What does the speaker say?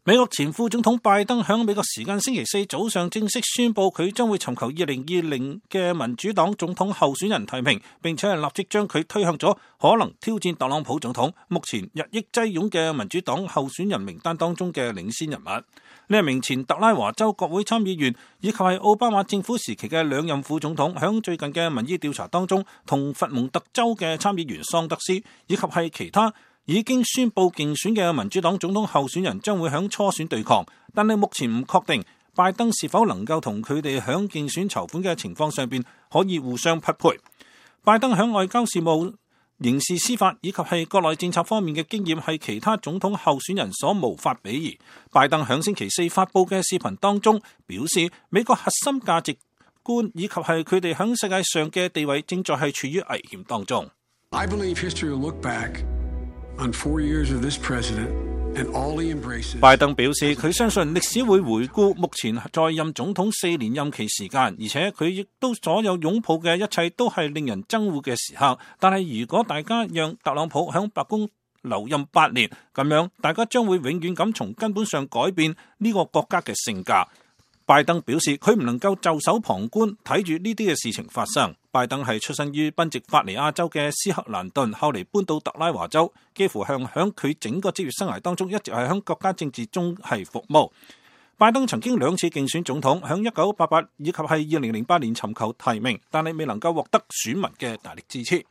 美國前副總統拜登響美國時間星期四早上正式宣布，佢將會尋求2020嘅民主黨總統候選人提名，並且係立即將佢推向咗可能挑戰特朗普總統目前日益擠擁嘅民主黨候選人名單當中嘅領先人物。呢一名前特拉華州國會參議員以及係奧巴馬政府時期嘅兩任副總統，響最近嘅民意調查當中，同佛蒙特州嘅參議員桑德斯以及係其他已經宣布競選嘅民主黨總統候選人將會響初選對抗，但係目前唔確定拜登是否能夠同佢哋響競選籌款嘅情況上邊可以互相匹配。拜登響外交事務、刑事司法以及係國內政策方面嘅經驗係其他總統候選人所無法比擬。拜登響星期四發佈嘅視頻當中表示，美國核心價值觀以及係佢哋響世界上嘅地位正在係處於危險當中。I believe history will look back on 4 years of this president and all he embraces. 拜登表示，佢相信歷史會回顧目前在任總統4年任期時間，而且佢亦都所有擁抱嘅一切都係令人憎惡嘅時刻。但係如果大家讓特朗普響白宮留任8年，咁樣大家將會永遠咁從根本上改變呢個國家嘅性格。拜登表示，佢唔能夠袖手旁觀睇住呢啲嘅事情發生。拜登係出身於賓夕法尼亞州嘅斯克蘭頓，後嚟搬到特拉華州，幾乎響佢整個職業生涯當中一直係響國家政治中係服務。拜登曾經2次競選總統，響1988以及係2008年尋求提名，但係未能夠獲得選民嘅大力支持。